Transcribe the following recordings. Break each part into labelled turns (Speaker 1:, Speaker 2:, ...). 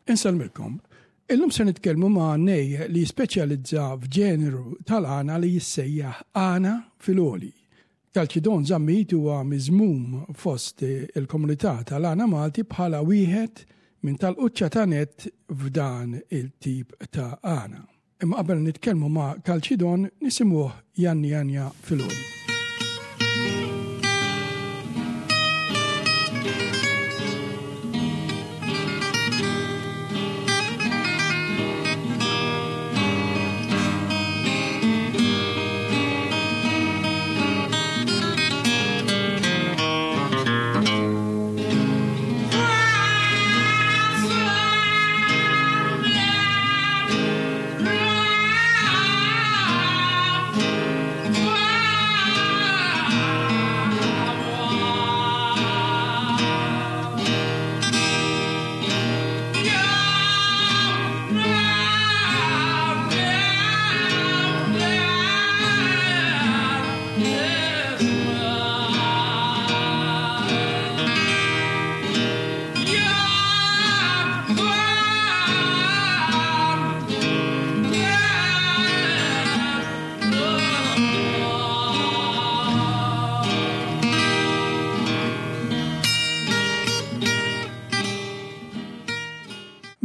Speaker 1: Insellmilkom. Illum se nitkellmu ma' għannej li jispeċjalizza f'ġeneru tal-għana li jissejjaħ għana fil-għoli. Kalċidon Zammit huwa miżmum fost il-komunità tal-għana Malti bħala wieħed minn tal-quċċata nett f'dan il-tip ta' għana. Imma qabel nitkellmu ma' Kalċidon nisimgħuh Janni Janja fil-għoli.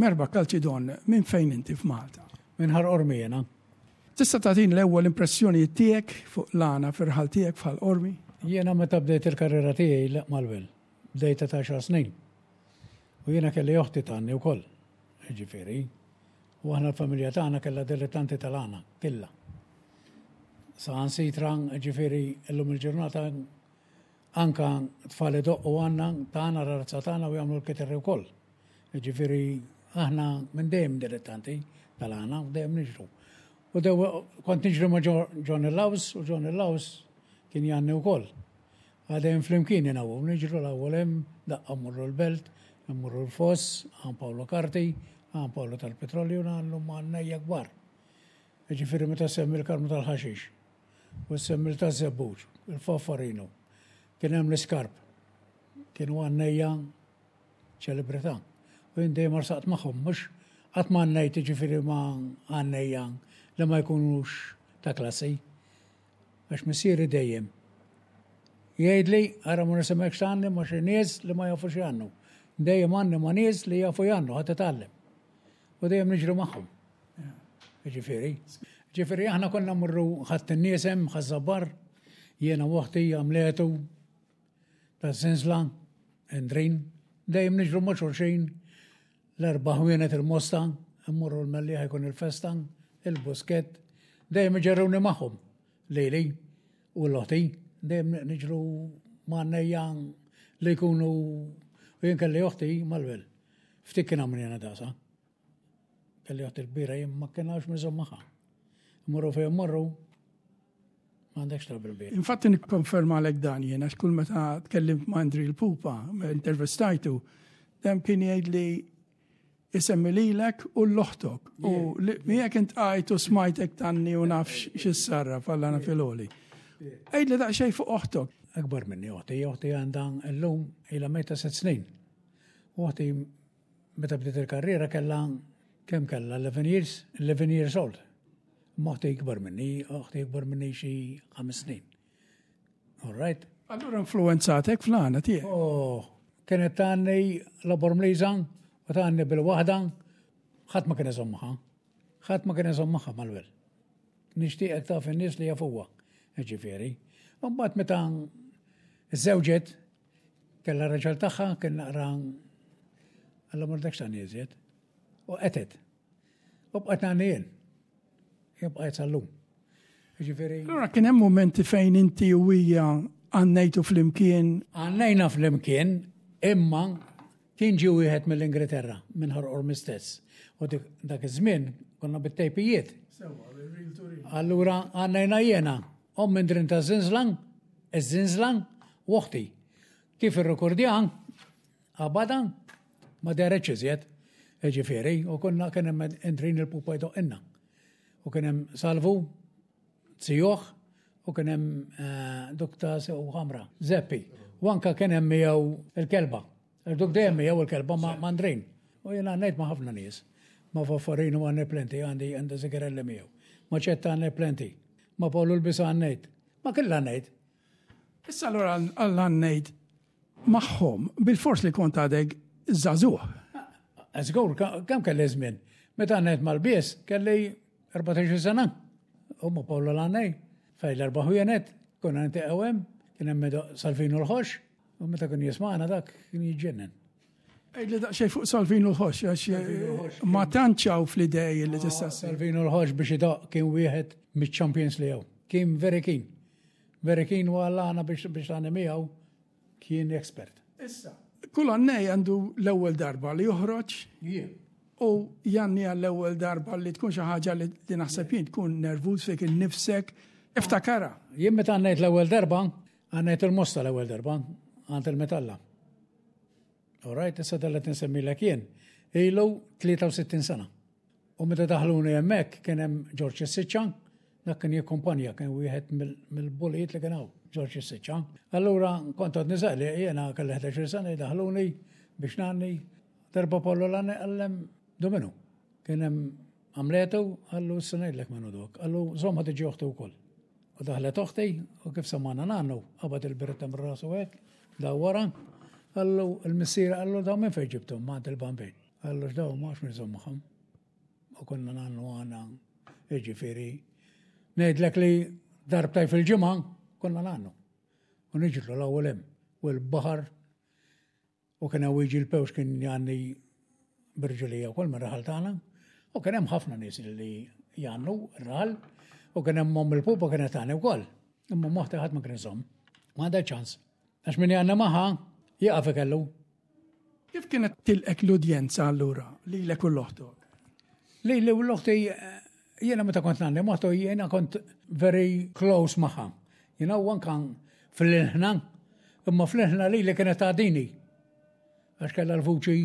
Speaker 1: Merba Kalċidon, minn fejn inti f'Malta?
Speaker 2: Minn Ħal Qormi jiena.
Speaker 1: Tista' tagħtini l-ewwel impressjonijiet tiegħek fuq l-għana fir-raħal tiegħek f'Ħal Qormi?
Speaker 2: Jiena meta bdejt il-karriera tiegħi l mal-wel, bdejta ta' għaxar snin. U jiena kelli oħti tgħanni wkoll, jiġifieri. U aħna l-familja tagħna kellha dilettanti tal-għana, killa. Saħansitra, jiġifieri llum il-ġurnata anka tfal idoqqu għandna tagħna razza tagħna u jagħmlu l-kitarri wkoll. Jiġifieri aħna minn dejjem dilettanti tal-għana u dejjem niġru. U dew kont niġri ma' Johnny Laws u Johnny Laws kien jgħanni wkoll. Għadejn flimkien jiena u niġru l-ewwel hemm, daqqa mmorru l-Belt, immorru l-Foss, għand Paolo Carti, għand Paolo tal-Petrolju nagħmlu ma' għannejja kbar. Jiġifieri meta ssemmi l-Karmu tal-Ħaxix u ssemmi l-taż-Żebbuġ, il-Faffarinu, kien hemm l-Iskarp. Kienu għannejja ċelebrità. U jien dejjem arsaqt magħhom, mhux qatt ma għannejt jiġifieri ma' għannejja li ma jkunux ta' klassi. Għax missieri dejjem jgħidli, ara ma nisimgħekx tgħanni ma' xi nies li ma jafux jgħannu. Dejjem għanni ma' nies li jafu jgħannu, ħa titgħallem. U dejjem niġri magħhom. Ġifieri. Ġifieri aħna konna mmorru ħadd in-nies hemm ħaż-żabbar, jiena u oħti għamletu taż-żinżla, Endrin, dejjem niġru ma' xulxin l-erba' ħwienet il-Mosta, immorru l-Mellieħa jkun il-festa, il-Buskett, dejjem iġerruni magħhom lili u l-oħti, dejjem niġru ma' għannejja li jkunu u jien kelli oħti mal-wel. Ftit kien għamni jena dasa. Kelli oħti l-kbira jien ma kien hawnx miżhom magħha. Mmorru fejn mmorru, M'għandekx trouble bih.
Speaker 1: Infatti nikkonfermalek dan jien għax kull meta tkellimt ma' Andri l-Pupa, intervistajtu, dejjem kien jgħidli isemmi lilek u l-oħtok. U miegħek intqajt u smajtek tanni u naf x'issarraf għal għana fil-għoli. Għidli daqsxejn fuq oħtok.
Speaker 2: Akbar minni oħti, oħti għandha llum ilha mejta set snin. U oħti meta bdiet il-karriera kellha kemm kellha 11 years, 11 years old. Imma oħti ikbar minni, oħti ikbar minni xi ħames snin. All right?
Speaker 1: Allura influenzatek fl-għana tiegħek.
Speaker 2: Oh, kienet tgħanni la Bormliża u tgħanni bil-waħda, ħadd ma kien iżomm magħha. Ħadd ma kien iżomm magħha mal-wel. Nixtieqek taf in-nies li jafuha, ġifieri. Mbagħad meta żewġet, kellha raġel tagħha kien naqra Alla mordekx tagħni iżjed. U qetet. U bqajt nagħni jien. Jien bqajt sal-lum.
Speaker 1: Ġifieri. Allura kien hemm momenti fejn inti u hija għannejtu flimkien.
Speaker 2: Għannejna flimkien, imma kien ġie wieħed mill-Ingilterra, minn Ħal Qormi stess. U dak iż-żmien konna bit-tejpijiet. Allura għannejna jiena, omm Indrin ta' Zinzlan, iż-Zinzlan, u oħti. Kif irrekordjan, Qabadha, ma dehretx iżjed, jiġifieri, u konna kien hemm Endrin il-pupa jdoqqilna. U kien hemm Salvu, Zijuh, u kien hemm eh, duk ta' sew ħamra, Zeppi. U anka kien hemm miegħu il-kelba. Duk dejjem miegħu il-kelba ma' Andrin. U jiena għannejt ma' ħafna nies. Ma' Faffarinu għanni plenty, għandi għandi sigarelli miegħu. Ma' ċetta għanni plenty. Ma' Pawlu l-Bisa għannejt. Ma' killa għannejt.
Speaker 1: Issa allura għannejt magħhom bil-fors li kont għadek żagħżugħ.
Speaker 2: Żgur, kemm kelli żmien? Meta għannejt mal-bies, kelli 14 sena. U ma' Pawlu l-għannej, fej l-erba' ħwienet, konna niltaqgħu hemm, kien hemm Salvinu l-ħox, u meta kien jismagħna dak kien jiġġennen.
Speaker 1: Għidli daqsxejn fuq Salvinu l-ħox, għax eh, ma tantx hawn fl-idej li tista'
Speaker 2: Salvinu l-ħox biex idoq kien wieħed miċ-champions li hawn. Kien very keen. Very keen u għallana biex biex tagħni miegħu kien expert.
Speaker 1: Issa, kull għannej għandu l-ewwel darba li joħroġ u janni għall-ewwel darba li tkun xi ħaġa li naħseb jien tkun nervuż fik innifsek, iftakara.
Speaker 2: Jien meta għannejt l-ewwel darba, għannejt il-mosta l-ewwel darba, għand il-metalla. All right, issa tal qed insemmilek jien. Ilu 63 sena. U meta daħluni hemmhekk kien hemm Ġorġ Siċċa, dak kien jikkumpanja, kien wieħed mill-bulijiet li kien hawn, Ġorġ Siċċa. Allura kont għad niżaqli jiena kelli 11 sena jdaħluni biex nanni darba Pollo l għallem dominu. Kien hemm għamletu, għallu issa ngħidlek minnu dok. Għallu żomm ħa tiġi oħti wkoll. U daħlet oħti u kif samana nannu, qabad il-biretta minn rasu hekk, dawwara, qallu il-missier qallu daw minn fejn ġibthom ma' il-bambin. Qallu x'daw ma nafx min iżomm magħhom. U konna nannu għana, jiġifieri, ngħidlek li darbtej fil-ġimgħa konna nannu. U niġru l-ewwel hemm u l-baħar U kien hawn jiġi l-pewx kien jgħanni b'irġulija wkoll mir-raħal tagħna. U kien hemm ħafna nies li jgħannu r-raħal. U kien hemm omm il-pupa kienet tagħni wkoll. Imma moħti ħadd ma kien iżomm. Ma għandha ċans. Għax min jgħanni magħha jieqaf ikellu.
Speaker 1: Kif kienet tilqek l-udjenza allura lilek u l-oħtok?
Speaker 2: Lili u l-oħti jiena meta kont ngħanni moħtu jiena kont very close magħha. Jiena u anka fl-ilħna, imma fl-ilħna lili kienet tgħaddini. Għax kellha l-vuċi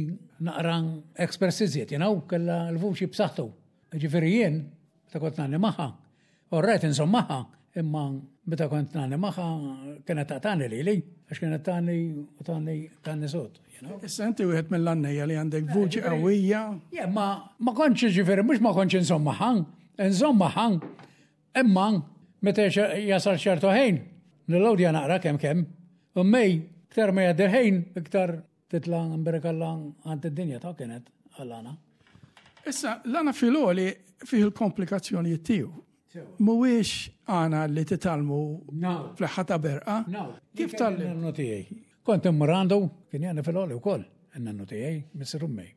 Speaker 2: naqra express iżjed, jiena u kellha l-vuċi b'saħħtu. Ġifieri jien, meta kont ngħanni magħha, Orrajt inżomm magħha, imma meta kont nagħni magħha kienet taqtani lili, għax kienet tagħni u tagħni tagħni sod.
Speaker 1: Issa inti wieħed mill-għannejja li għandek vuċi qawwija.
Speaker 2: Je, ma ma kontx ġifieri mhux ma kontx inżomm magħha, inżomm magħha, imma meta jasal ċertu ħin, nillowdja naqra kemm kemm, u mej, iktar ma jgħaddi ħin, iktar Titla' nberekalla għand id-dinja ta' kienet għal-għana.
Speaker 1: Issa, l-għana fil-għoli fih il-komplikazzjonijiet tiegħu. Mhuwiex għana li titgħallmu fl-ħa ta' berqa. Kif
Speaker 2: tal Nannu tiegħi. Kont immur għandu, kien jgħanni fil-għoli wkoll, in-nannu tiegħi, missier ummi.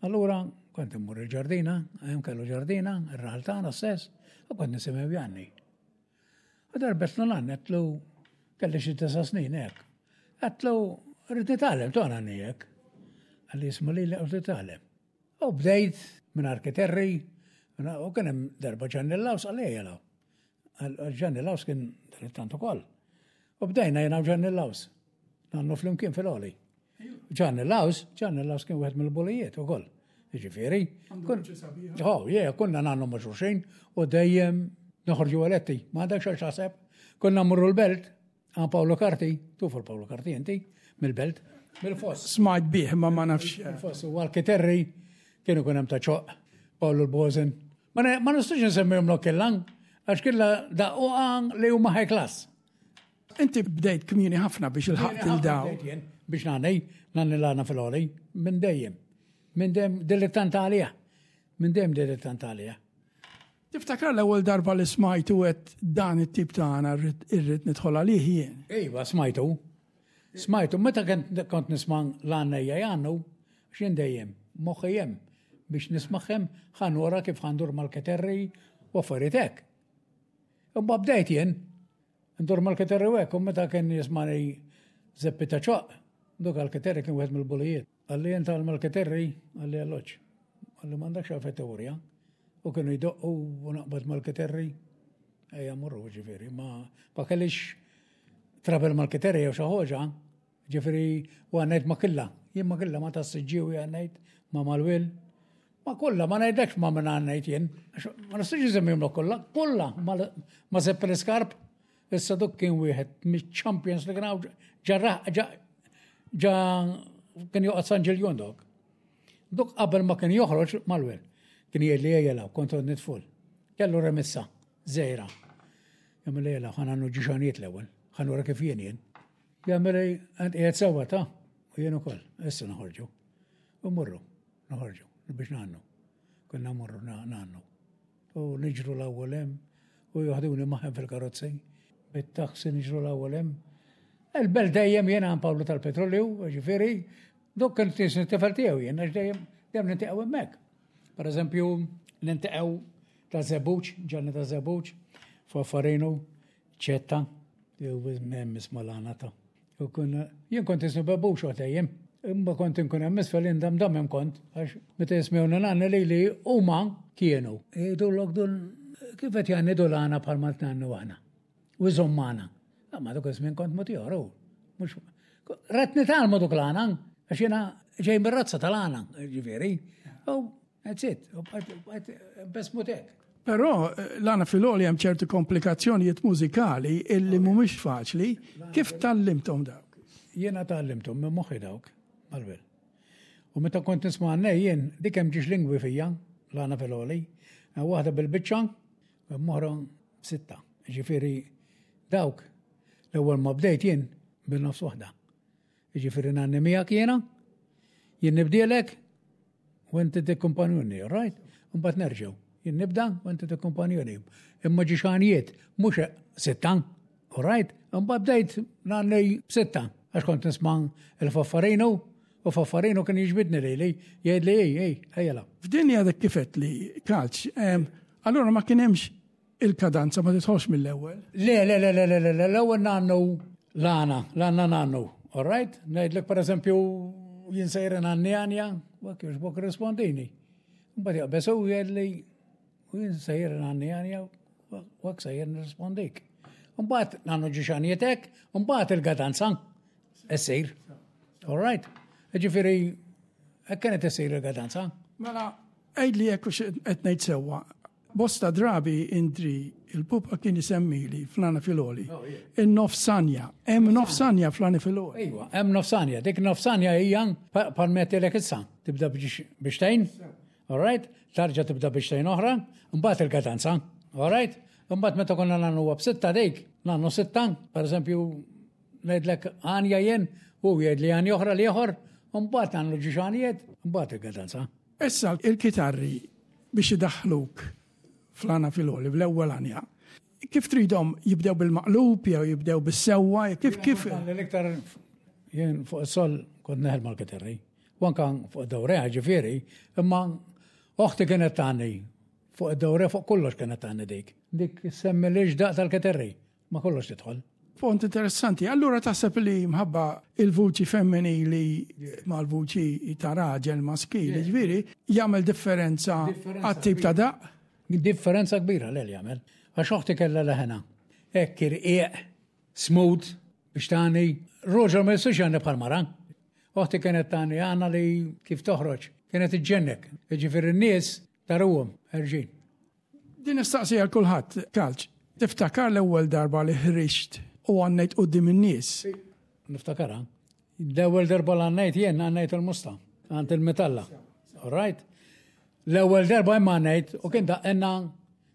Speaker 2: Allura, kont immur il-ġardina, hemm kellu ġardina, ir-raħal tagħna stess, u kont nisimgħu jgħanni. U darbet l għedtlu kelli xi disa' snin hekk. Għedtlu rrid nitgħallem tona hekk. Qalli jisma' lili qed titgħallem. U bdejt minn arkiterri, u kien hemm darba Ġanni Laws qalli ejja law. Ġanni Laws kien dilettant ukoll. U bdejna jiena u Ġanni Laws. Nannu flimkien fil-għoli. Ġanni Laws, Ġanni Laws kien wieħed mill-bulijiet ukoll. Jiġifieri. Oh, yeah, konna nannu ma' xulxin u dejjem noħorġu eletti. Ma għandek xogħol xaħseb. Konna mmorru l-belt, għan Paolo Carti, tufu l-Paolo Carti inti, mill-belt, mill-foss.
Speaker 1: Smajt bih, ma ma nafx.
Speaker 2: Mill-foss, u għal-kiterri kienu kun hemm ta' ċoq, Paolo l-Bozen. Ma nistax nsemmihom l-okkellan, għax killa daqqa li huma high class.
Speaker 1: Inti bdejt kmieni ħafna biex ilħaqt il daw.
Speaker 2: Biex nagħni, nagħni l-għana fil-għoli, minn dejjem. Minn dejjem dilettant għalija. Minn dejjem dilettant għalija.
Speaker 1: Tiftakar l-ewwel darba li smajtu għedt dan it-tip ta' għana rrid nidħol għalih jien?
Speaker 2: Iva, smajtu. Smajtu, meta kont nisma' l-għannejja jgħannu, x'jien dejjem, moħħi hemm biex nismagħhom ħa nura kif ħa ndur mal-keterri u affarijiet hekk. Imma bdejt jien, Ndur mal-Keterri u hekk, u meta kien jismani Zeppi ta' ċoq, duk għal-Keterri kien wieħed mill-bulijiet. Qalli int għal mal-Keterri, qalli alloġġ. Qalli m'għandekx għalfejn teorija. U kienu jdoqqu u naqbad mal-Keterri. Ejja morru ġifieri, ma ma kellix trabel mal-Keterri jew xi ħoġa, ġifieri u għannejt ma killa. Jien ma killa ma tas-Siġġiewi għannejt, ma mal-Wil. Ma kollha, ma ngħidlekx ma minn għannejt jien. Ma nistax insemmihom kollha, kollha ma Sepp l-Iskarp. Issa duk kien wieħed miċ-champions li kien hawn ġa ġa kien joqgħod San Ġiljon dok. Duk qabel ma kien joħroġ mal-wel. Kien jgħidli ejjela, kont għodni tful. Kellu remissa, żgħira. Jagħmel ejjela, ħa nagħmlu ġixanijiet l-ewwel. Ħa nura kif jien jien. Jagħmel għand qiegħed sewwa ta' u jien ukoll. Issa noħorġu. U mmorru, noħorġu biex ngħannu. Konna mmorru ngħannu. U niġru l-ewwel hemm u joħduni magħhom fil-karozzi. Bit-taxi niġru l-ewwel hemm. Il-belt dejjem jiena għand Pawlu tal-Petrolju, ġifieri, dok kien tisni tifel tiegħu jien għax dejjem dejjem nintaqgħu hemmhekk. Per eżempju, nintaqgħu ta' Żebbuġ, Ġanni ta' Żebbuġ, Faffarinu, Ċetta, jew hemm isma' l-għana ta' U kun, jien kont ismu bebux u dejjem. Imma kont inkun hemm isfel indam dam hemm kont, għax meta jismewni nanni li li huma kienu. Jgħidulok dun kif qed jgħanni dul għana bħalma tnannu aħna. U jżomm magħna. Ma dak iż-żmien kont mod ieħor hu. Mhux Ret nitgħallmu duk l-għana, għax jiena ġej mir-razza tal-għana, ġifieri. U that's it, u bqajt bes mutek.
Speaker 1: Però l-għana fil-għoli hemm ċertu komplikazzjonijiet mużikali illi mhumiex faċli. Kif tgħallimthom dawk?
Speaker 2: Jiena tgħallimthom minn moħħi dawk, mal-wel. U meta kont nisma' għannej jien, dik hemm ġiex lingwi fija, l-għana fil-għoli. Waħda bil-biċċa, u oħra b'sitta. Ġifieri dawk l-ewwel ma bdejt jien bin-nofs waħda. Ġifieri ngħanni miegħek jiena, jien nibdielek u inti tikkumpanjuni, all right? Mbagħad nerġgħu. Jien nibda u inti tikkumpanjuni. Imma ġi xanijiet, mhux sitta, all right? Mbagħad bdejt ngħanni b'sitta għax kont nisma' il-faffarinu u faffarinu kien jiġbidni lili, jgħidli ej, ej, ejjela.
Speaker 1: F'din għadek kif li kalċ, allura ma kien hemmx il-kadanza ma tidħolx mill-ewwel.
Speaker 2: Le, le, le, le, le, le, le, l-ewwel nannu l-għana, l-għana nannu, all right? Ngħidlek per eżempju jien sejra nanni għanja, u hekk jogħġbok rispondini. Mbagħad jaqbeż u jgħidli u jien sejra nanni għanja, u hekk sejjer nirrispondik. Mbagħad nannu ġixanietek, mbagħad il-gadanza issir. All right? Ġifieri hekk kienet issir il-gadanza.
Speaker 1: Mela, għidli jekk hux qed ngħid sewwa. Bosta drabi Indri il-pupa kien isemmili fl-għana filgħoli. Oh, In-nofsanja. Hemm nofsanja fl-għana filgħoli.
Speaker 2: Iva, hemm nofsanja. Dik nofsanja hija bħal metilek issa. Tibda biex tgħin. All right? Tarġa tibda biex tgħin oħra, mbagħad il-kadanza. All right? Mbagħad meta konna nagħmlu b'sitta dik, nagħmlu sitta, pereżempju ngħidlek għanja jien, u jgħidli għanja oħra li ieħor, mbagħad nagħmlu ġiex għanjiet, mbagħad il-kadanza.
Speaker 1: Issa il-kitarri biex idaħħluk fl-għana fil-għoli, fl-ewwel għanja. Kif tridhom jibdew bil-maqlub jew jibdew bis-sewwa, kif kif?
Speaker 2: L-iktar jien fuq is-sol kont neħel mal-kitarri. U anka fuq id-dawreha ġifieri, imma oħti kienet tagħni fuq id-dawreha fuq kollox kienet tagħni dik. Dik semmi li daq tal-kitarri, ma kollox tidħol.
Speaker 1: Punt interessanti. Allura taħseb li mħabba il-vuċi femminili mal-vuċi ta' raġel maskili, ġifieri, jagħmel differenza għat-tip ta' daq?
Speaker 2: Differenza kbira l jagħmel. Għax oħti kellha leħena. Hekk irqiq, smooth, biex tani. Roger ma jistax jagħni bħal mara. Oħti kienet tani għana li kif toħroġ. Kienet iġġennek. Ġifieri n-nies taruhom ħerġin.
Speaker 1: Din nistaqsi għal kulħadd, Kalċ. Tiftakar l-ewwel darba li ħriġt u għannejt quddiem in-nies?
Speaker 2: Niftakarha. L-ewwel darba li għannejt jien għannejt il-musta, għand il-metalla. All right? L-ewwel darba imma għannejt u kien daqqenna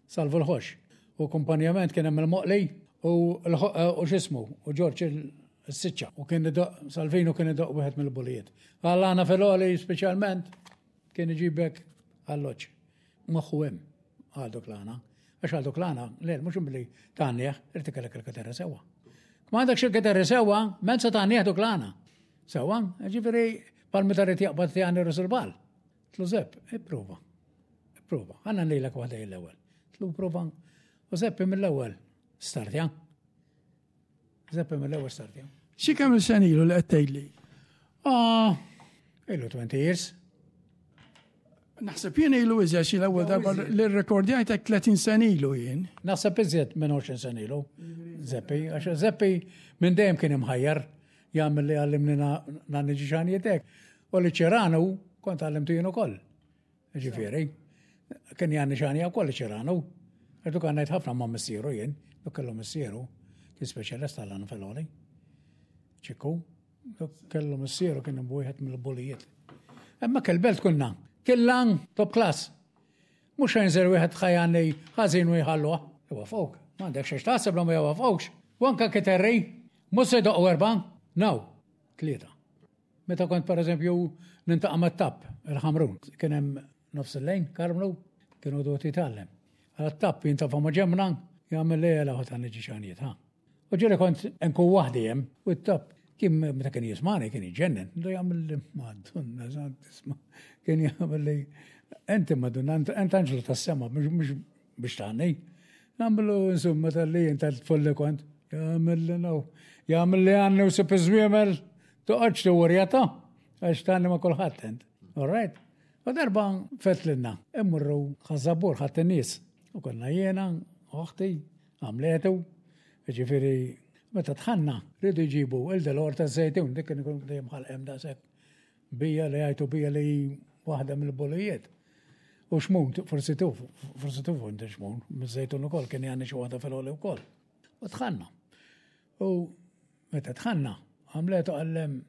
Speaker 2: Salvu l-ħox. U kumpanjament kien hemm il-Moqli u u x'ismu u Ġorġ il-Siċċa. U kien idoq Salvinu kien idoq wieħed mill-bulijiet. Għal għana fil-għoli speċjalment kien iġibek alloġġ. Moħħu hemm għal dok l-għana. Għax għal dok l-għana, le, mhux billi tgħannieh, irid ikollek il-kitarra sewwa. Ma għandekx il-kitarra sewwa, men se tgħannieh dok l-għana. Sewwa, ġifieri bħal meta rrid jaqbad tgħanni rusul bal. Tlu Zepp, ipprova. Ipprova. Għanna ngħidlek waħda l-ewwel. Tlu prova. U Zeppi mill-ewwel startja. Zeppi mill-ewwel startja.
Speaker 1: Xi kemm il-sen ilu li qed tgħidli?
Speaker 2: Ah, ilu 20 years.
Speaker 1: Naħseb jien ilu iżjed xi l-ewwel darba li rrekordjajtek 30 sen ilu jien.
Speaker 2: Naħseb iżjed minn 20 sen ilu. Zeppi, għax Zeppi minn dejjem kien imħajjar jagħmel li għallimni nagħni ġixanijiet U li ċiranu kont għallimtu jien ukoll. Ġifieri, kien jgħanni xanja wkoll ċiranu. Għadu kan ngħid ħafna ma' missieru jien, dok kellu missieru, kien speċjalist tal-għan fil-għoli. Ċikku, dok kellu missieru kien wieħed mill-bulijiet. Hemmhekk il-belt kunna. Killan top class. Mhux se jinżel wieħed ħajanni ħażin u jħalluh. Iwafquk. M'għandekx xiex taħseb li ma jwafqukx. U anke kiterri, mhux se jdoqqu erbgħa, no, tlieta. Meta kont pereżempju nintaqa' mat-tapp il-Ħamrun, kien hemm nofs il-lejn, Karmnu, kienu dot jitgħallem. Għala t-tapp jintafa' ma' ġemna, jagħmel li jela ta' niġi xanijiet, ha. U ġieli kont nkun waħdi hemm, u t-tapp kien meta kien jismani kien jiġġennen, du jagħmel li madonna tisma' kien jagħmel li inti madonna int anġlu tas-sema mhux biex tgħanni. Nagħmlu insomma tal-li int tfulli kont. Jagħmel li naw. Jagħmel li għanni u sib iż-żwiemel toqgħodx tiwurjata għax tgħanni ma' kulħadd int. All right? U darba fetlilna, immurru ħażabur ħadd in-nies. U konna jiena, oħti, għamletu, ġifieri meta tħanna rridu jġibu il-delor ta' żejtun, dik kien ikun dejjem ħalqem daqshekk. Bija li għajtu bija li waħda mill-bolijiet. U xmun, forsi tuf, forsi tufu inti xmun, miż-żejtun ukoll kien jgħanni xi waħda fil-għoli wkoll. U tħanna. U meta tħanna, għamletu għallem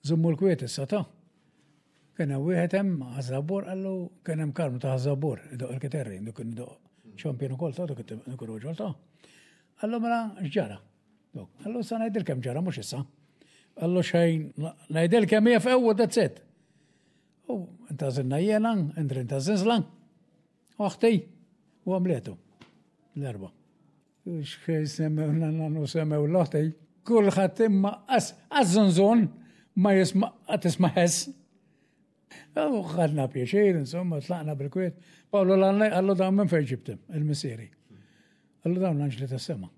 Speaker 2: żummu l-kwiet issa ta' Kien hemm wieħed hemm ħażabur qallu kien hemm karmu ta' ħażabur, idoq il-kiterri, dik kien idoq ċampjon ukoll ta' dik ir-raġol ta' Qallu mela x'ġara? Qallu sa ngħidilkem ġara mhux issa. Qallu xejn ngħidilkem hija f'ew that's it. U intażilna jiena, Indrin ta' Zinzla, oħti u għamletu l-erba. Xejn semmew nannu semmew l-oħti. Kulħadd imma għaż-żunżun ma jisma' tisma' ħess. U ħadna pjaċir, insomma, tlaqna bil-kwiet. Pawlu l-għallej għallu dawn minn fejn ġibtem, il-missieri. Għallu dawn l-anġli tas-sema.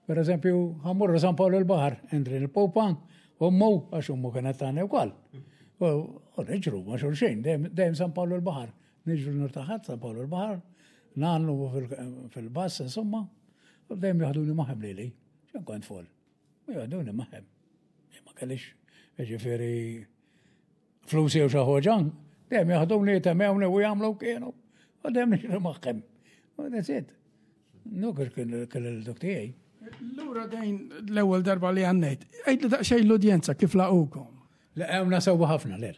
Speaker 2: Per eżempju, ħammurru San Paolo l-Bahar, Endrin il-Popa, ummu, għax ummu kienet tagħna wkoll. U niġru ma' xulxin, dejjem San Paolo l-Bahar. Niġru nirtaħat San Paolo l-Bahar, nagħmlu fil-bass, insomma, u dejjem jaħduni maħem lili. Xejn kont fol. U jaħduni maħem. Ma kellix, ġifieri, flus jew xi ħoġa, dejjem jaħduni jitemewni u jagħmlu kienu. U dejjem niġri magħhom. U that's it. Nuk kien il-dok tiegħi.
Speaker 1: Lura dejn l-ewwel darba li għannejt, għid li daqsxejn l-udjenza kif laqukom.
Speaker 2: Laqgħuna sewwa ħafna lel.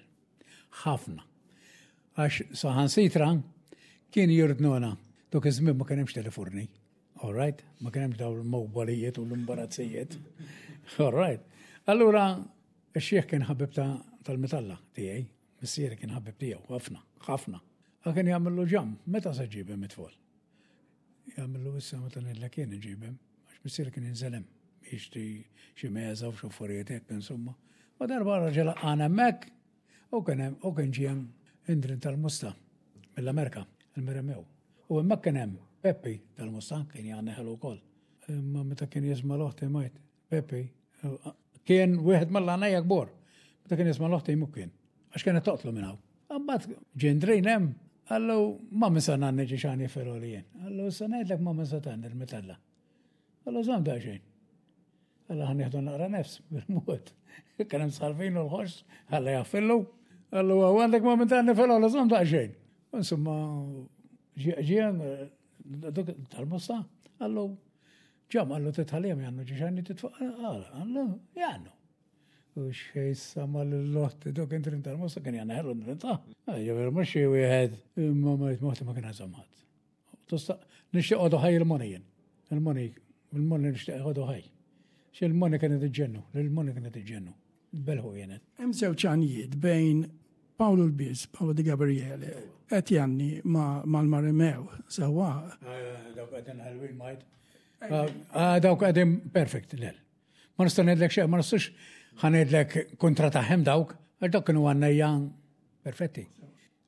Speaker 2: Ħafna. Għax saħansitra kien jirdnuna. Dok iż-żmien ma kien hemmx telefurni. All right? Ma kien hemmx dawn il-mobalijiet u l-imbarazzijiet. All right. Allura, ix-xieħ kien ħabib tal-metalla tiegħi, missieri kien ħabib tiegħu, ħafna, ħafna. Għal kien jagħmillu ġam, meta se ġibhem it-tfal? Jagħmillu issa meta ngħidlek jien iġibhem, għax missieri kien jinżel hemm jixtri xi meża u xi affarijiet hekk insomma. U darba raġel għana hemmhekk u kien hemm u kien ġie Indrin tal-Musta mill-Amerika, il-Meremew. U hemmhekk kien hemm Peppi tal-Musta kien jagħni ħelu wkoll. Imma meta kien jisma' l-oħti majt, Peppi kien wieħed mill-għanajja kbor. Meta kien jisma' l-oħti mhu kien. Għax kienet toqtlu minn hawn. Imbagħad ġendrin hemm, qallu ma min sa ngħanni ġi xani feroli jien. Qallu issa ngħidlek ma min sa tgħanni l-metalla. Qallu żomm daqsxejn. Qallu ħa nieħdu naqra nefs bil-mod. Kien hemm sħalfin u l-ħoss, ħalla jaffillu. Qallu għandek ma min tgħanni feroli żomm daqsxejn. Insomma, ġie tal-mosta, qallu ġam qallu titħaljem jannu ġi xani titfuq, qallu jannu. U xej sama l-lotti, dok intrin tal-mosta kien jgħanna ħellu intrin ta' Ġifieri mhux xi wieħed imma ma jitmoħti ma kien ħażamħat. Tista' nixtieq għodu ħaj il-money jien. Il-money, il-money nixtieq għodu ħaj. Xi il-money kienet iġġennu, il-money kienet iġġennu. Belħu jenet.
Speaker 1: Hemm żewġ għanijiet bejn Paolo l-Biż, Paolo Di Gabriele, qed janni mal-Marimew, sewwa.
Speaker 2: Dawk qegħdin ħelwin majt. Ah, dawk qegħdin perfect, lel. Ma nista' ngħidlek xejn, ma nistax ħanejdlek kontra tagħhom dawk, għax dawk kienu għannejja perfetti.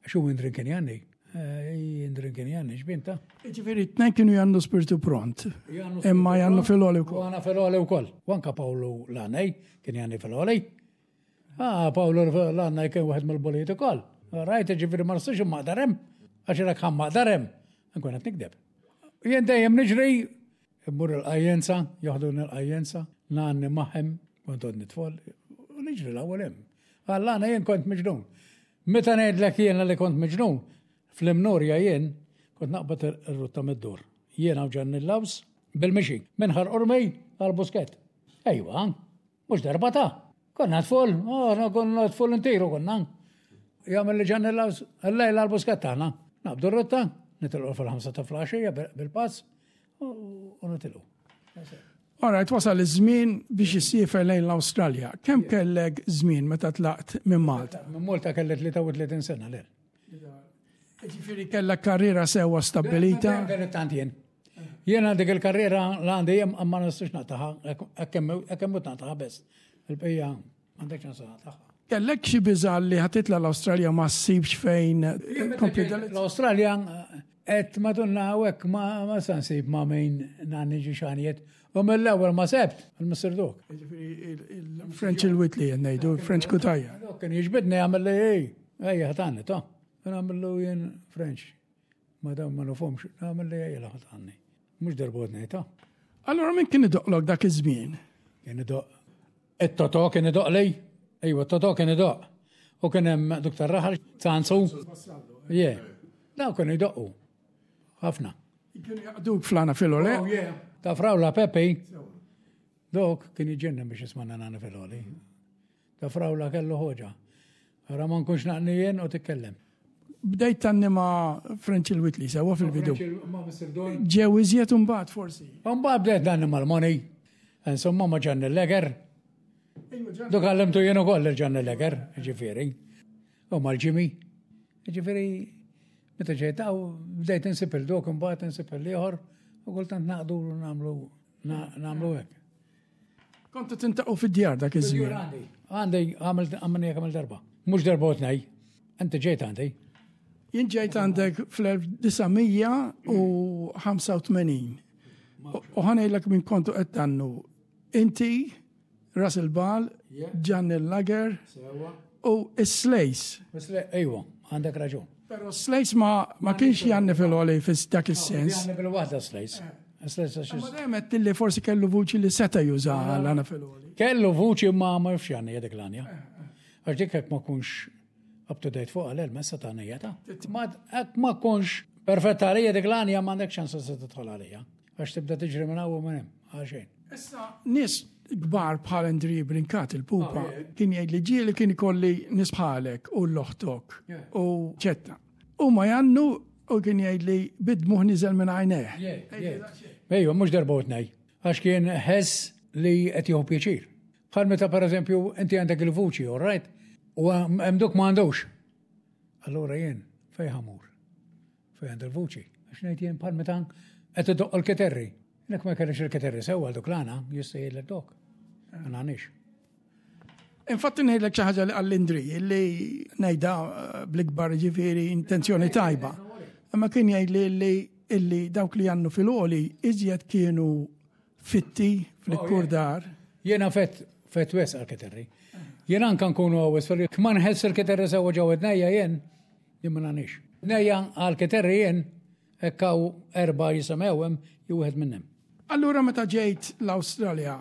Speaker 2: Għax hu Indrin kien janni. Eh, Indrin kien janni, xbinta.
Speaker 1: Ġifieri tnejn kienu jannu spiritu pront. Imma jannu fil-oli wkoll.
Speaker 2: Għana fil-oli wkoll. U anka Pawlu l-għanej kien janni fil-oli. Ah, Pawlu l-għanej kien wieħed mill-bolijiet ukoll. Rajt, ġifieri ma nistax immaqdarem. Għax irek ħa maqdarem. Nkun qed nikdeb. Jien dejjem niġri Immur il-qajjenza, joħduni l-qajjenza, ngħanni magħhom, kont għodni tfol, u niġri l-ewwel hemm. Għall-għana jien kont miġnun. Meta ngħidlek jiena li kont miġnun, fl-Imnurja jien kont naqbad ir-rutta mid-dur. Jiena u Ġanni Laws bil-mixi, minn Ħal Qormi għal Buskett. Ejwa, Mhux darba ta'. Konna tfol, oh, konna tfol intiru konna. Jagħmel li ġanni l-lejla l-buskat tagħna. Naqbdu r-rotta, nitilqu fil-ħamsa ta' flaxija bil-pass u nitilqu.
Speaker 1: Alright, wasal iż-żmien biex issiefer lejn l-Awstralja. Kemm kellek żmien meta tlaqt minn Malta?
Speaker 2: Minn Malta kelli 33 sena l.
Speaker 1: Ġifieri kellek karriera sewwa stabbilita?
Speaker 2: Tant jien. Jiena dik il-karriera l għandi jem ma nistax naqtaħa, hekk hemm naqtaħa biss. Il-bqija m'għandek ċans naqtaħa.
Speaker 1: Kellek xi biża' li ħatitla l-Awstralja ma ssibx fejn
Speaker 2: kompli L-Awstralja qed madonna hawnhekk ma sa nsib ma' min nagħni ġi xanijiet. U mill-ewwel ma sebt, il-Mr. Dok.
Speaker 1: Il-French il-Whitley ngħidu, il-French Kutajja.
Speaker 2: Kien jiġbidni jagħmel li ej, ejja ħatanni ta' nagħmlu jien French. Ma dawn ma nufhomx, nagħmel li ejja ħatanni. Mhux darba ngħidha.
Speaker 1: Allura min kien idoqlok dak iż-żmien?
Speaker 2: Kien idoq. It-Totò kien idoq li? Ejwa, t-Totò kien idoq. U kien hemm duk tar-raħal, Sanzu. Je. Daw kienu jdoqqu. Ħafna.
Speaker 1: Kienu jaqduk flana filole?
Speaker 2: Oh, yeah. Ta' frawla Peppi. Dok kien jġennem biex jismanna nana filoli. Ta' frawla kellu ħoġa. Ara ma nkunx naqni jien u titkellem.
Speaker 1: Bdejt tanni ma' French il-Whitley sewa fil-bidu. Ġew iżjed imbagħad forsi.
Speaker 2: Mbagħad bdejt nanni mal-Moni. Insomma ma' Ġanni Leger. Duk għallimtu jien ukoll il-Ġanni Leger, ġifieri. U mal-Ġimi. Ġifieri meta ġejt bdejt insib il-dok imbagħad insib il-ieħor u kultant naqdu nagħmlu nagħmlu hekk.
Speaker 1: Kontu tintaqgħu fid-djar dak iż-żmien.
Speaker 2: Għandi, għandi għamilt għamilni kemm darba. Mhux darba u tnej. Inti ġejt għandi.
Speaker 1: Jien ġejt għandek fl-1985. U ħanejlek minn kontu qed tannu. Inti, Russell Ball, Gianni Lager u Slays.
Speaker 2: Ejwa, għandek raġun.
Speaker 1: Pero Slays ma, ma kienx janni fil-għoli fis dak is-sens.
Speaker 2: Janni bil-waħda Slays.
Speaker 1: Ma dejjem qed li forsi kellu vuċi li seta' juża l-għana fil-għoli.
Speaker 2: Kellu vuċi ma ma jafx janni dik l-għanja. Għax dik hekk ma kunx up to date fuq għal messa ta' nija ta' Ma hekk ma kunx perfetta għalija dik l-għanja ma għandek ċans se tidħol għalija. Għax tibda tiġri minn hawn u minn hemm, għal xejn.
Speaker 1: Issa nies kbar bħal Andri Brincat il-pupa oh, kien jgħid li ġieli kien ikolli nies bħalek u l-oħtok u ċetta. U ma jannu u kien jgħid li bid-dmuħ niżel minn għajnejh.
Speaker 2: Ejwa, mhux darba u tnej. Għax kien ħess li qed jieħu pjaċir. Bħal meta pereżempju inti għandek il-vuċi, all right? U hemm duk ma għandux. Allura jien fejn ħamur? Fejn għandu l-vuċi? Għax ngħid jien bħal meta qed idoq il-kiterri. Nek ma kellix il-kiterri sewwa duk l-għana, jista' jgħidlek dok. Ma nagħnix.
Speaker 1: Infatti ngħidlek xi ħaġa li għall-Indri li ngħidha eh, bl-ikbar ġifieri intenzjoni tajba. Imma kien jgħid li illi dawk li għannu fil-għoli iżjed kienu fitti fl-kurdar.
Speaker 2: Oh, Jiena fett fett wes għal-kiterri. Jiena anka nkunu għawis fil ma nħess il-kiterri sewa ġew id-nejja jien, jien ma nagħnix. Nejja għal-kiterri jien, hekk hawn erba' jisimgħu hemm jew wieħed minnhom.
Speaker 1: Allura meta ġejt l-Awstralja,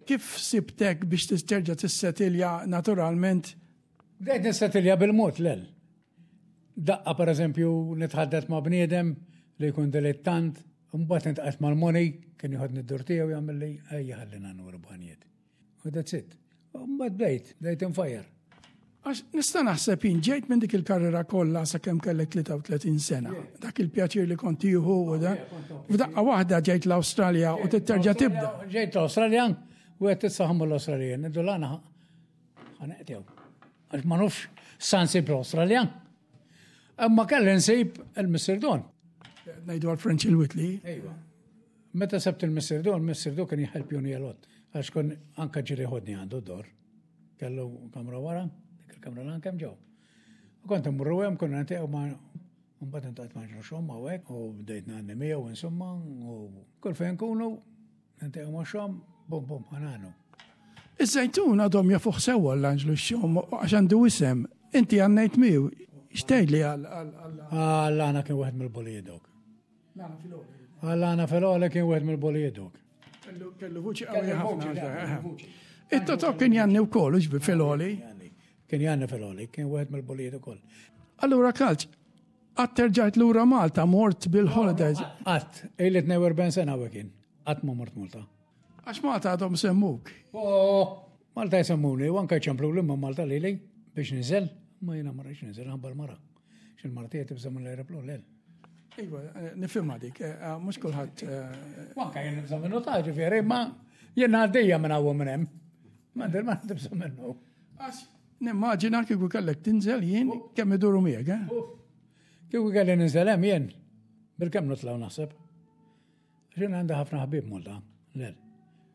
Speaker 1: kif sibtek biex terġa' tissetilja naturalment?
Speaker 2: Bdejt nissetilja bil-mod lel. Daqqa pereżempju nitħaddet ma' bniedem li jkun dilettant, mbagħad nitqgħet mal-moni, kien jieħodni d-dur tiegħu jagħmilli ejja ħallina nuru banijiet. U that's it. Mbagħad bdejt, bdejt infajjar.
Speaker 1: Għax nista' naħseb jien ġejt minn dik il-karriera kollha sakemm kellek 33 sena. Dak il-pjaċir li kont tieħu u da. F'daqqa waħda ġejt l-Awstralja u titterġa' tibda.
Speaker 2: Ġejt l-Awstralja u qed tissaħmu l-Awstraljan. Iddu l-għana ħaneqtew. Għax ma nafx sa nsib l-Awstraljan. Imma kelli nsib il-Mr. Don.
Speaker 1: Ngħidu għal French il-Whitley.
Speaker 2: Ejwa. Meta sebt il-Missier Du, il-Missier Du kien jħelpjuni a lot. Għax kon anka ġieli ħodni għandu d-dor. Kellu kamra wara, dik il-kamra l kemm ġew. U kont immurru hemm konna niltaqgħu ma' Mbagħad intqajt ma' xogħol hawnhekk u bdejt ngħanni miegħu insomma u kull fejn nkunu niltaqgħu ma' xogħol, bum bum ħananu.
Speaker 1: Iż-żejtun għadhom jafuh sewwa l-Anġlu x-Xom għax għandu isem. Inti għannejt miegħu. X'tgħidli għal
Speaker 2: Għal-għana kien wieħed mill-bulijiet dawk. Għal-għana fil-għoli kien wieħed mill-bulijiet dawk.
Speaker 1: Kellu vuċi qawwi ħafna. It-Totò kien janni wkoll u fil-għoli.
Speaker 2: Kien janni fil-għoli, kien wieħed mill-bulijiet ukoll.
Speaker 1: Allura Kalċ, qatt terġajt lura Malta mort bil-holidays?
Speaker 2: Qatt, ili 42 sena u kien. Qatt ma mort Malta.
Speaker 1: Għax Malta għadhom semmuk.
Speaker 2: Oh, Malta jsemmuni, u anka jċemplu li ma Malta lili biex niżel, ma jiena ma rridx niżel ħabba l-mara. X'il mara tiegħi tibża' mill-aeroplan lel.
Speaker 1: Iva, eh, nifhimha dik, eh, eh, mhux kulħadd.
Speaker 2: U anka jien nibża' minnu ta' ġifieri, ma jien għaddejja minn hawn minn hemm. Ma ma tibża' minnu.
Speaker 1: Għax nimmaġina kieku kellek tinżel jien kemm iduru miegħek, eh?
Speaker 2: Kieku kelli ninżel hemm jien, bil-kemm nitlgħu naħseb. Jien għandi ħafna ħbieb Malta, lel,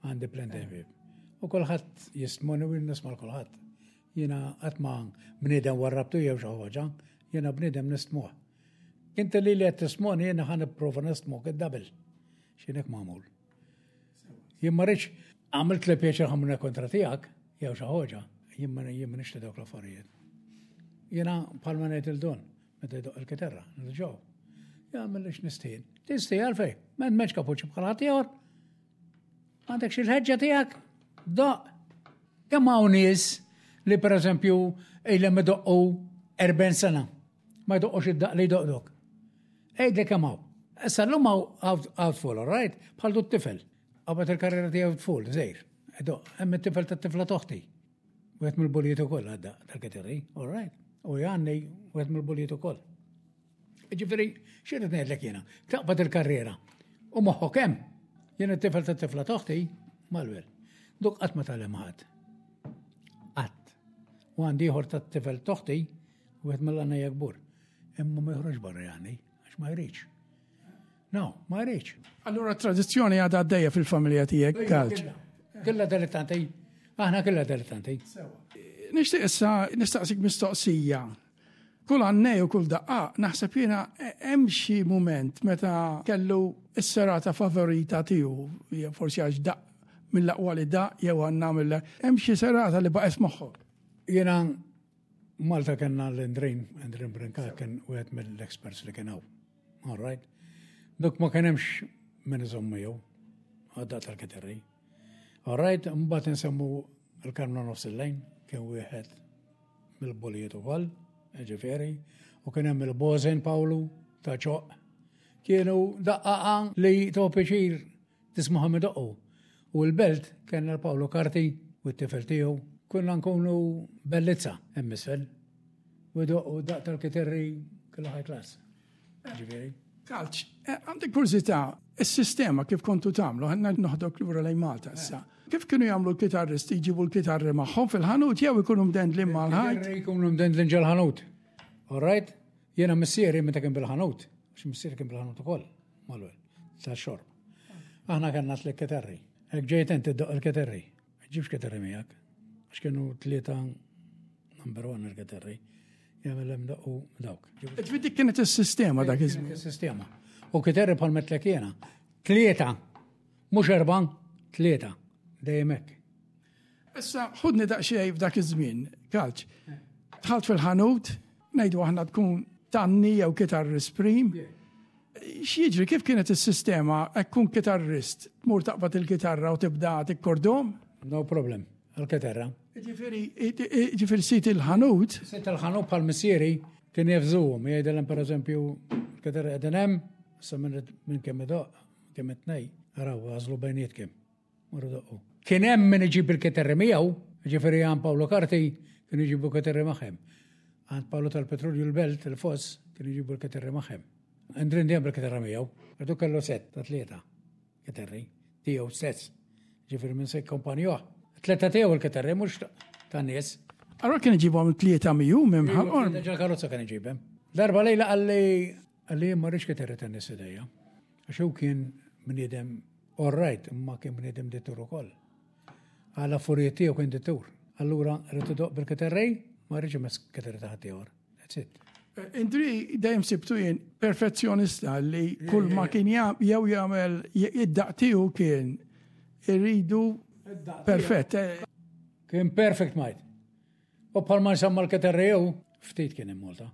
Speaker 2: għandi plenty ħbieb. U kulħadd jistmoni u nisma' kulħadd. Jiena qatt ma bniedem warrabtu jew xi ħaġa, jiena bniedem nistmuh. Inti li li qed tismoni jiena ħa nipprova nistmok id-double. X'inek magħmul. Jien ma rridx għamilt li pjaċir ħamna kontra tiegħek jew xi ħaġa, jien ma jien ma nixtieq dawk l-affarijiet. Jiena bħalma ngħid il-don, Meta jdoqq il-kitarra, nirġgħu. Jagħmel li x'nistħin. Tistħi għalfejn, m'hemmx kapuċi bħal ħaddieħor. Għandek xi l-ħeġġa tiegħek? Doq. Kemm hawn nies li pereżempju ilhom idoqqu 40 sena ma jdoqqux id-daq li jdoqdok. Għidli kemm hawn. Issa llum hawn outfall, all right? Bħal du t-tifel. Qabad il-karriera tiegħu tful, żejr. Idoq, hemm it-tifel tat-tifla toħti. Wieħed mill-bulijiet ukoll għadda tal-kitarri, all right. U Janni wieħed mill-bulijiet ukoll. Ġifieri, xi rrid ngħidlek jiena, taqbad il-karriera u moħħok hemm. Jien it-tifel tat-tifla toħti malwel. Duk qatt ma tagħlem ħadd. Qatt. U għandi ieħor tat-tifel toħti, wieħed mill-għannejja kbur. Imma ma joħroġ barra Janni, għax ma jridx. No, ma jridx.
Speaker 1: Allura tradizzjoni għadha għaddejja fil-familja tiegħek, Kalċ.
Speaker 2: Killa dilettanti. Aħna killa dilettanti.
Speaker 1: Nixtieq issa nistaqsik mistoqsija. Kull għannej u kull daqqa, naħseb jiena hemm xi mument meta kellu s-serata favorita tiegħu, forsi għax daq mill-aqwa li daq jew għandna mill hemm xi serata li baqgħet moħħok.
Speaker 2: Jiena Malta kellna l-Endrin, Endrin Brincat kien wieħed mill-experts li kien hawn. All right. Dok ma kien hemmx min iżomm miegħu għadda tal-kitarri. All right, mbagħad insemmu l-Karmnu nofs il-lejn, kien wieħed mill-bulijiet ukoll, ġifieri, u kien hemm il-Bożen Pawlu ta' ċoq. Kienu daqqaqa li to pjaċir tismagħhom idoqqu. U l-belt kellna l-Pawlu Karti u t-tifel tiegħu, konna nkunu bellizza hemm isfel. U jdoqqu daq tal-kitarri kellu high class. Ġifieri.
Speaker 1: Kalċ, eh, għandi kurżità, is-sistema kif kontu tagħmlu, ħanna noħdok lura lejn Malta issa. Kif kienu jagħmlu l-kitarristi jġibu l-kitarri magħhom fil-ħanut jew ikunu mdendlin mal-ħajt?
Speaker 2: Ikunu mdendlin ġol-ħanut. All right? Jiena missieri meta kien bil-ħanut, għax missieri kien bil-ħanut ukoll, mal-ewwel, tal-xorb. Aħna kellna tliet kitarri. Hekk ġejt inti ddoq il-kitarri. Ġibx kitarri miegħek. Għax kienu tlieta number one il-kitarri. Jagħmel hemm daqqu dawk.
Speaker 1: Ġifieri dik kienet is-sistema dak iż-żmien.
Speaker 2: Is-sistema. U kitarri bħal metlek jiena. Tlieta, mhux erba', tlieta. Dejjem hekk.
Speaker 1: Issa ħudni daqsxejn f'dak iż-żmien, kalċ. Dħalt fil-ħanut, ngħidu aħna tkun tanni jew kitarrist prim. X'jiġri kif kienet is-sistema hekk kun kitarrist, tmur taqbad il-kitarra u tibda tikkordom?
Speaker 2: No problem, għal-kitarra.
Speaker 1: Ġifieri, ġifieri sit il-ħanut.
Speaker 2: Sit il-ħanut bħal missieri kien jefżuhom, jgħidilhom pereżempju l-kitarra qegħdin hemm, issa minn kemm idoq, kemm it-tnej, araw għażlu bejnietkom. Marru doqqu. Kien hemm min iġib il-kitarri miegħu, ġifieri għand Paolo Carti kienu jġibu kitarri magħhom. Għand Paolo tal-Petrolju l-Belt, il-Foss, kienu jġibu l-kitarri magħhom. Andrin dejjem bil-kitarra miegħu, għadu kellu set ta' tlieta kitarri tiegħu stess. Ġifieri minn se jkompanjuh. Tlieta tiegħu il-kitarri mhux tan-nies.
Speaker 1: Allora kien iġibhom tlieta miegħu minn ħalqor.
Speaker 2: Ġal karozza kien iġibhom. Darba lejla qalli qalli ma rridx kitarri tan-nies idejja. Għax hu kien bniedem. All right, imma kien bniedem dittur ukoll. Għal affarijiet tiegħu kien dittur. Allura rrid idoqq bil-kiterrej, ma rridx imess kiterri ta' ħaddieħor. That's it.
Speaker 1: Eh, Indri dejjem sibtu jien perfezzjonista li kull ma kien jew jagħmel id-daq tiegħu kien irridu perfett. Eh.
Speaker 2: Kien perfect mate. U bħalma nsemma l-keterreju, ftit kien hemm Malta.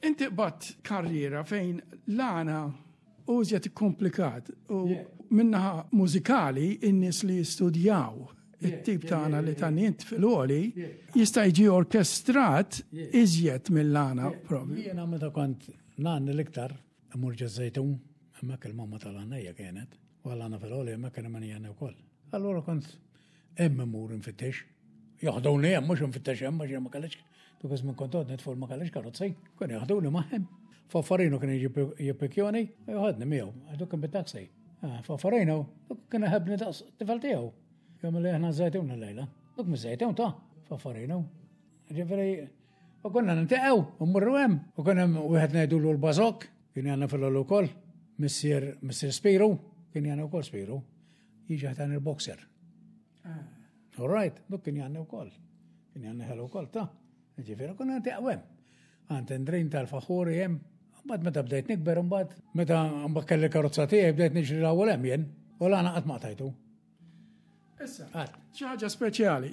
Speaker 1: Inti qbadt karriera fejn l-għana u iżjed ikkomplikat u minnaħa mużikali in-nies li jistudjaw it-tip tagħna li tagħni int fil-għoli jista' jiġi orkestrat iżjed mill-għana
Speaker 2: propju. Jiena meta kont ngħanni l-iktar immur ġeż-Żejtun, hemmhekk il-mamma tal-għannejja kienet, u għall-għana fil-għoli hemmhekk kien hemm min jgħanni wkoll. Allura kont Hemm immur infittex. Jaħduni hemm mhux infittex hemm għax ma kellix dak iż-żmien kont għodni tful ma kellix karozzi. Kienu jaħduni magħhom. Faffarino kien jiġi jippikjoni, joħodni miegħu, għax kien bit-taxi. Ah, Faffarino, kien iħebbni daqs tifel tiegħu. Jom li aħna żajtun l-lejla. Duk miż-żejtun ta' Faffarino. Ġifieri, u konna nintaqgħu, u mmorru hemm, u kien hemm wieħed ngħidulu l-bażok, kien jagħna fil-għolu wkoll, missier missier Spiru, kien jagħna wkoll Spiru. Jiġi ħdan il-boxer. Ah. All right, duk kien janni wkoll. Kien janni ħelu wkoll ta' Ġifieri konna ntiqgħu hemm. Għand Endrin tal-Faħuri hemm. Mbagħad meta bdejt nikber imbagħad meta mbagħad kelli karozza tiegħi bdejt niġri l-ewwel hemm jien u l-għana qatt ma qtajtu.
Speaker 1: Issa, xi ħaġa speċjali.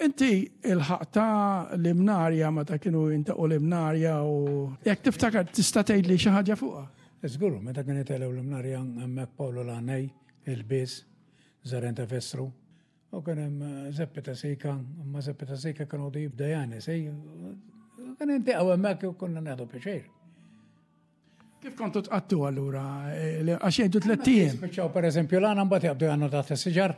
Speaker 1: Inti il-ħaqta l-imnarja meta kienu jintaqu l-imnarja u jekk tiftakar tista' tgħidli xi ħaġa fuqha.
Speaker 2: Żgur, meta kien jitelgħu l-imnarja hemmhekk Pawlu l-għanej, il-biż, Zaren ta' Vestru, u kien hemm eh, Zeppi ta' Sika, imma Zeppi ta' Sika kienu għodu jibda jani, sej, kien intaqgħu hemmhekk u konna nieħdu pjaċir.
Speaker 1: Kif kontu tqattu allura? Eh, għax jgħidu tlettijiem.
Speaker 2: Spiċċaw per eżempju l-għana mbagħad jabdu għannu taħt is-siġar.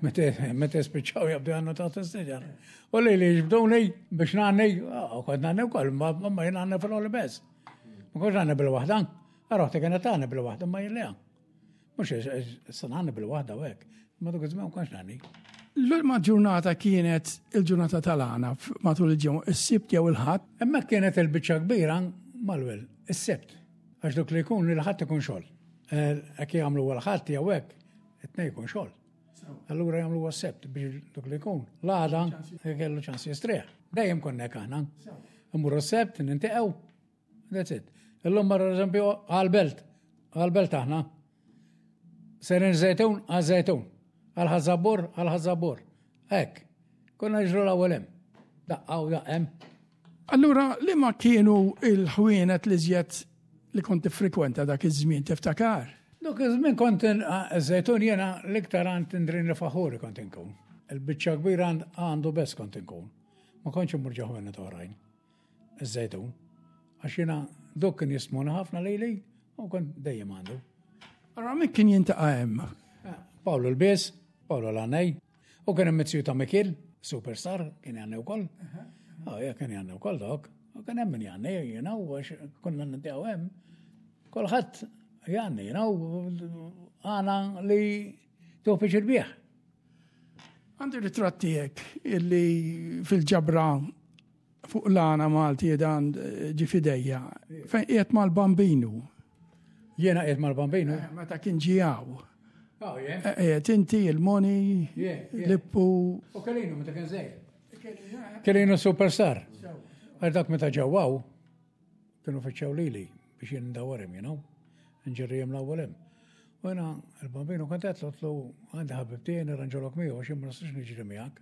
Speaker 2: Meta spiċċaw jabdu għannu taħt is-siġar. U li li jġbduni biex ngħanni, ah, kont ngħanni wkoll, ma jien għanni fil-għoli bez. Ma kontx ngħanni bil-waħda. Roħti kienet tagħni bil-waħda ma jien Mhux issa ngħanni bil-waħda u hekk. Ma dak iż-żmien ma kontx ngħanni.
Speaker 1: L-ulma ġurnata kienet il-ġurnata tal-għana matul il-ġimgħa, is-Sibt jew il-Ħadd?
Speaker 2: Hemmhekk kienet il-biċċa kbira mal-wel, is-Sibt. Għax dak li jkun il-Ħadd ikun xogħol. Eh, hekk jagħmlu l-Ħadd jew hekk, it-tnejn jkun xogħol. Allura jagħmlu s-Sebt biex dak li jkun. L-għada kellu ċans jistrieħ. Dejjem konna hekk aħna. Immurru s-Sebt, nintiqgħu, That's it. Illum marru eżempju għal-belt, għal-belt aħna. Serin żejtun għal żejtun, għal ħażabur għal ħażabur. Hekk. Konna ġru l-ewwel hemm. Daqqa u daqqa hemm.
Speaker 1: Allura li ma kienu il-ħwienet li żjed li kont tifrekwenta dak iż-żmien tiftakar?
Speaker 2: Dak iż-żmien kont żejtun jiena l-iktar għand Indrin Faħuri kont inkun. Il-biċċa kbira għandu bes kont inkun. Ma kontx immur ġo ħwienet oħrajn. Iż-żejtun. Għax jiena dok kien jistmuna ħafna lili u kont dejjem għandu.
Speaker 1: Allora min kien jintaqa' hemm?
Speaker 2: Eh, Paolo l-Bies, Paolo l-Għanej, u kien hemm mizzju ta' Mikil, superstar, kien jgħanni wkoll. Oh, ja, kien jgħanni wkoll dok. U kien hemm min jgħanni, jiena, u għax konna nintaqgħu hemm. Kulħadd jgħanni, jiena, u għana li tuħ biex bieħ.
Speaker 1: Għandi ritratt tiegħek illi fil-ġabra fuq l-għana Malti dan eh, ġi fidejja, fejn qiegħed mal-bambinu.
Speaker 2: Jiena qiegħed mal-bambinu? Eh,
Speaker 1: meta kien ġijaw. Oh, eh, qiegħed inti, il-Moni, Lippu.
Speaker 2: U Kelinu meta kien żejr. Kelinu superstar. Għal dak meta ġewwaw, kienu fiċċew lili biex jien ndawwarhom, you know. Nġerrijem l-ewwel hemm. U jiena il-bambinu kont qed tlu għandi ħabib tiegħi nirranġolok miegħu għax jien ma nistax niġri miegħek.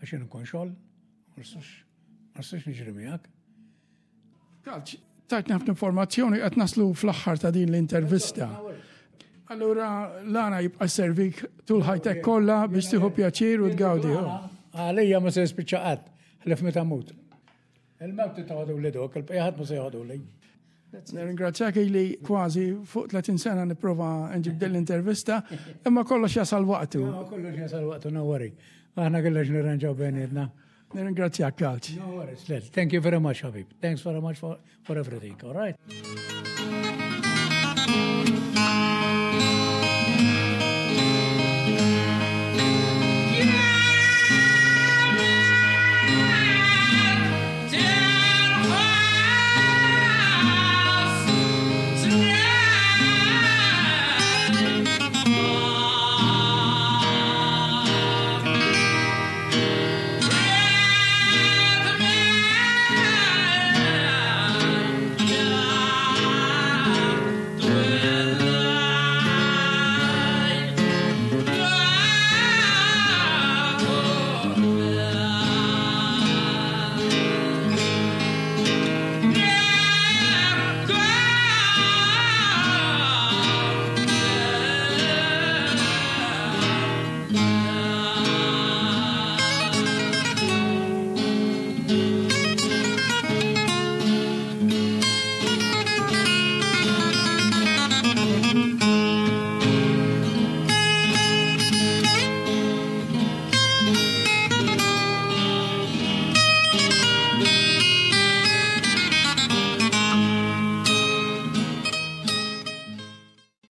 Speaker 2: Għax jien nkun xogħol, ma nistax niġri miegħek.
Speaker 1: Kalċ, tajtni ħafna informazzjoni qed naslu fl-aħħar ta' din l-intervista. Allura l-għana jibqa' servik tul ħajtek kollha biex tieħu pjaċir u tgawdi.
Speaker 2: Għalija ma se jispiċċa qatt, ħlif meta mut. Il-mewt titgħodu li dok, il-bqija ħadd ma se jgħodu li.
Speaker 1: Nirringrazzjak li kważi fuq 30 sena nipprova nġib din l-intervista, imma kollox jasal waqtu.
Speaker 2: Kollox jasal waqtu, no worry. Aħna kollox nirranġaw bejnietna.
Speaker 1: Nirringrazzjak, Kalċ.
Speaker 2: No worries, Thank you very much, Habib. Thanks very much for everything, all right?